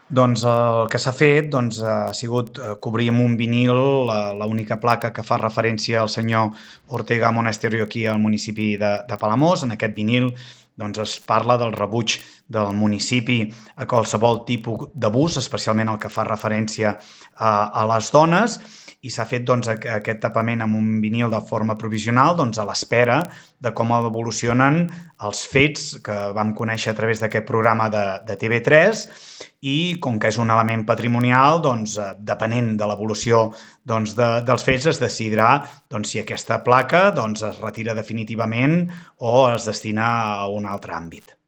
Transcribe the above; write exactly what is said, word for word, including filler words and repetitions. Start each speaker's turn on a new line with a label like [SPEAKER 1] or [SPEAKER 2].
[SPEAKER 1] Doncs el que s'ha fet doncs, ha sigut cobrir amb un vinil l'única placa que fa referència al senyor Ortega Monasterio aquí al municipi de, de Palamós. En aquest vinil doncs, es parla del rebuig del municipi a qualsevol tipus d'abús, especialment el que fa referència a, a les dones, i s'ha fet doncs, aquest tapament amb un vinil de forma provisional doncs, a l'espera de com evolucionen els fets que vam conèixer a través d'aquest programa de, de T V tres, i com que és un element patrimonial, doncs, depenent de l'evolució doncs, de, dels fets, es decidirà doncs, si aquesta placa doncs, es retira definitivament o es destina a un altre àmbit.